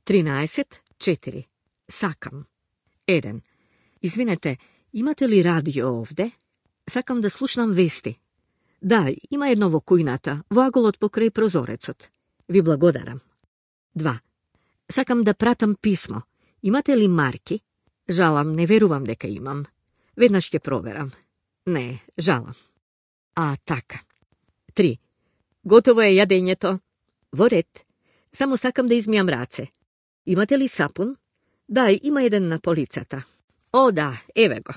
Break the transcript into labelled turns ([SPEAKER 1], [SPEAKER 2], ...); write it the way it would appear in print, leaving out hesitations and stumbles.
[SPEAKER 1] 13.4. Sakam. 1. Izvinete, imate li radio ovde? Sakam da slušam vesti. Da, ima jednovo kujnata, vagolot pokraj prozorecot. Vi blagodaram. 2. Sakam da pratam pismo. Imate li marki? Žalam, ne veruvam deka imam. Vednaš će proveram. Ne, žalam. A taka. 3. Gotovo je jadenjeto. Voret. Samo sakam da izmijam race. Imate li sapun? Da, ima jedan na policata. O da, evo go.